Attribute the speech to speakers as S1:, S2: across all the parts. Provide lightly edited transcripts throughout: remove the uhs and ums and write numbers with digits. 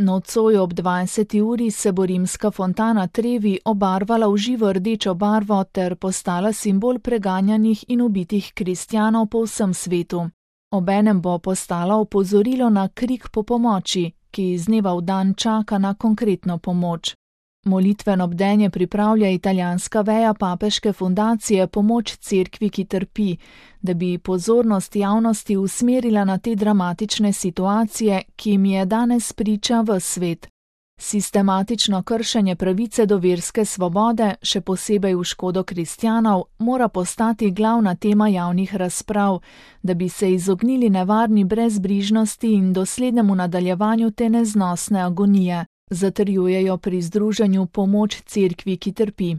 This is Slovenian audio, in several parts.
S1: Nocoj ob 20. uri se bo rimska fontana Trevi obarvala v živo rdečo barvo ter postala simbol preganjanih in ubitih kristjanov po vsem svetu. Obenem bo postala opozorilo na krik po pomoči, ki iz dneva v dan čaka na konkretno pomoč. Molitveno bdenje pripravlja italijanska veja papeške fundacije Pomoč cerkvi, ki trpi, da bi pozornost javnosti usmerila na te dramatične situacije, ki jim je danes priča ves svet. Sistematično kršenje pravice do verske svobode, še posebej v škodo kristjanov, mora postati glavna tema javnih razprav, da bi se izognili nevarni brezbrižnosti in doslednemu nadaljevanju te neznosne agonije, zatrjujejo pri združenju Pomoč cerkvi, ki trpi.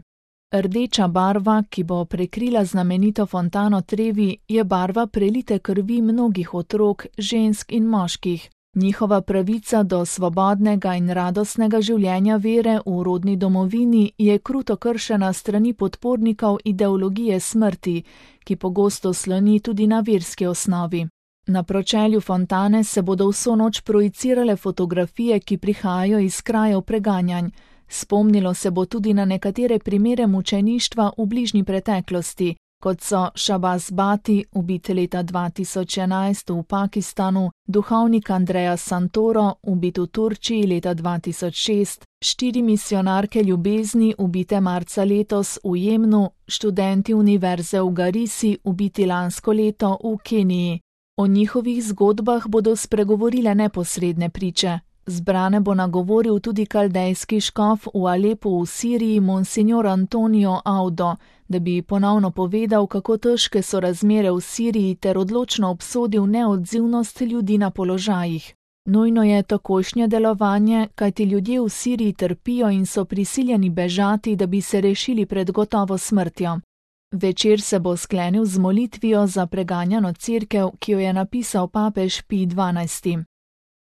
S1: Rdeča barva, ki bo prekrila znamenito fontano Trevi, je barva prelite krvi mnogih otrok, žensk in moških. Njihova pravica do svobodnega in radostnega življenja vere v rodni domovini je kruto kršena strani podpornikov ideologije smrti, ki pogosto sloni tudi na verski osnovi. Na pročelju fontane se bodo vso noč projicirale fotografije, ki prihajajo iz krajev preganjanj. Spomnilo se bo tudi na nekatere primere mučeništva v bližnji preteklosti, kot so Shahbaz Bhatti, ubit leta 2011 v Pakistanu, duhovnik Andrea Santoro, ubit v Turčiji leta 2006, 4 misijonarke ljubezni, ubite marca letos v Jemnu, študenti univerze v Garisi, ubiti lansko leto v Keniji. O njihovih zgodbah bodo spregovorile neposredne priče. Zbrane bo nagovoril tudi kaldejski škof v Alepu v Siriji Monsignor Antonio Audo, da bi ponovno povedal, kako težke so razmere v Siriji ter odločno obsodil neodzivnost ljudi na položajih. Nujno je takojšnje delovanje, kajti ljudje v Siriji trpijo in so prisiljeni bežati, da bi se rešili pred gotovo smrtjo. Večer se bo sklenil z molitvijo za preganjano cerkev, ki jo je napisal papež Pij XII.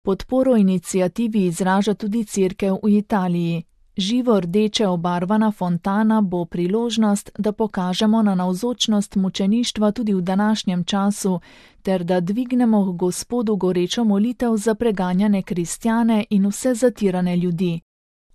S1: Podporo iniciativi izraža tudi cerkev v Italiji. Živo rdeče obarvana fontana bo priložnost, da pokažemo na navzočnost mučeništva tudi v današnjem času, ter da dvignemo k Gospodu gorečo molitev za preganjane kristjane in vse zatirane ljudi.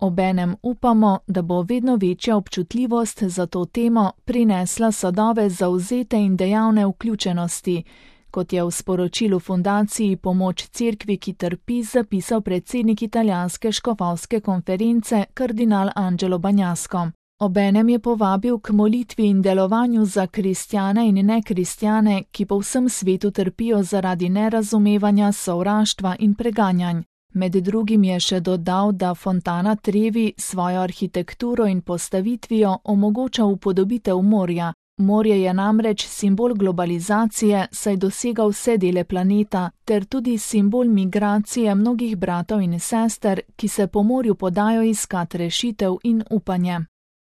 S1: Obenem upamo, da bo vedno večja občutljivost za to temo prinesla sadove zavzete in dejavne vključenosti, kot je v sporočilu fundaciji Pomoč cerkvi, ki trpi, zapisal predsednik italijanske škofovske konference kardinal Angelo Bagnasco. Obenem je povabil k molitvi in delovanju za kristjane in nekristjane, ki po vsem svetu trpijo zaradi nerazumevanja, sovraštva in preganjanj. Med drugim je še dodal, da fontana Trevi svojo arhitekturo in postavitvijo omogoča upodobitev morja. Morje je namreč simbol globalizacije, saj dosega vse dele planeta, ter tudi simbol migracije mnogih bratov in sester, ki se po morju podajo iskat rešitev in upanje.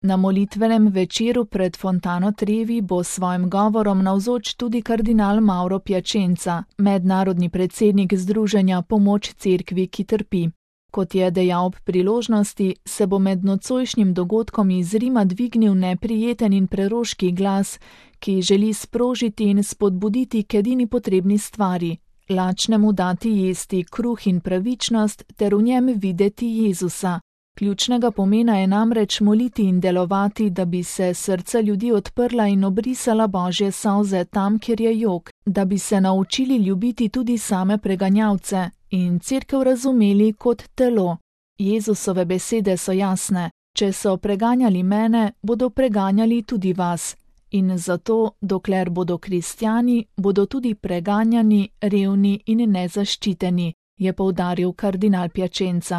S1: Na molitvenem večeru pred fontano Trevi bo s svojim govorom navzoč tudi kardinal Mauro Piacenza, mednarodni predsednik združenja Pomoč cerkvi, ki trpi. Kot je dejal ob priložnosti, se bo med nocojšnjim dogodkom iz Rima dvignil neprijeten in preroški glas, ki želi sprožiti in spodbuditi k edini potrebni stvari, lačnemu dati jesti kruh in pravičnost ter v njem videti Jezusa. Ključnega pomena je namreč moliti in delovati, da bi se srca ljudi odprla in obrisala Božje solze tam, kjer je jok, da bi se naučili ljubiti tudi same preganjavce in cerkev razumeli kot telo. Jezusove besede so jasne: če so preganjali mene, bodo preganjali tudi vas. In zato, dokler bodo kristjani, bodo tudi preganjani, revni in nezaščiteni, je poudaril kardinal Piacenza.